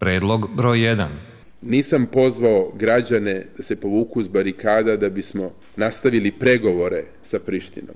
Predlog broj 1. Nisam pozvao građane da se povuku s barikada da bismo nastavili pregovore sa Prištinom.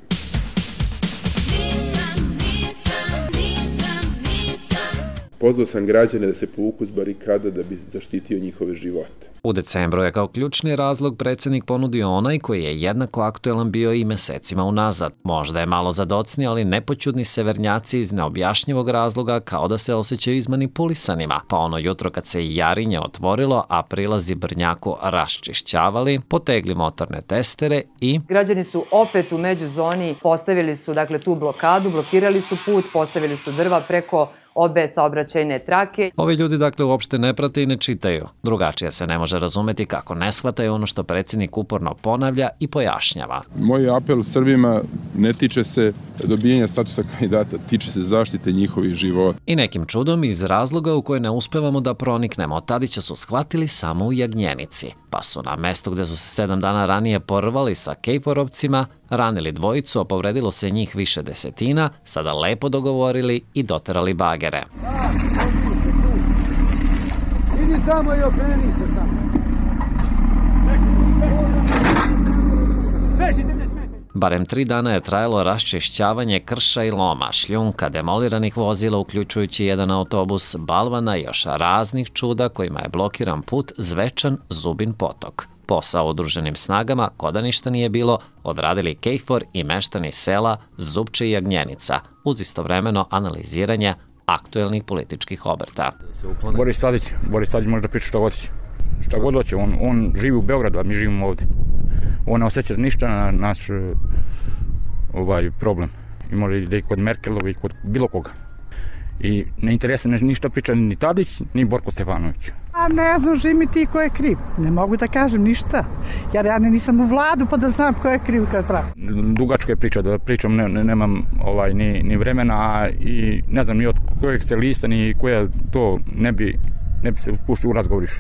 Pozvao sam građane da se povuku s barikada da bi zaštitio njihove živote. U decembru je kao ključni razlog predsjednik ponudio onaj koji je jednako aktuelan bio i mesecima unazad. Možda je malo zadocni, ali nepoćudni severnjaci iz neobjašnjivog razloga kao da se osjećaju izmanipulisanima. Pa ono jutro kad se Jarinje otvorilo, a prilazi Brnjaku raščišćavali, potegli motorne testere i... Građani su opet u međuzoni, postavili su tu blokadu, blokirali su put, postavili su drva preko obe saobraćajne trake. Ovi ljudi uopšte ne prate i ne čitaju. Drugačije se ne može razumeti kako ne shvataju ono što predsjednik uporno ponavlja i pojašnjava. Moj apel Srbima ne tiče se dobijanja statusa kandidata, tiče se zaštite njihovih života. I nekim čudom iz razloga u koje ne uspevamo da proniknemo, Tadića su shvatili samo u Jagnjenici. Pa su na mestu gde su se 7 dana ranije porvali sa Kejforovcima, ranili dvojicu, a povredilo se njih više desetina, sada lepo dogovorili i doterali bagere. Idi tamo i okreni se sam. Barem 3 dana je trajalo raščišćavanje krša i loma, šljunka, demoliranih vozila, uključujući jedan autobus, balvana i još raznih čuda kojima je blokiran put Zvečan Zubin potok. Posao udruženim snagama, koda ništa nije bilo, odradili Kejfor i meštani sela Zupče i Jagnjenica, uz istovremeno analiziranje aktuelnih političkih obrta. Boris Tadić može da priča što god hoće. Šta god hoće, on živi u Beogradu, a mi živimo ovdje. On ne osjeća ništa na naš problem. I može da i kod Merkelova i kod bilo koga. I ne interesuje ništa priča ni Tadić, ni Borko Stefanović. A ne znam, živi mi ti ko je kriv. Ne mogu da kažem ništa. Jer ja nisam u vladu pa da znam ko je kriv kad pravi. Dugačka je priča, da pričam nemam ni vremena i ne znam ni od kojeg ste lista, ni koja to ne bi se puštio u razgovoriš.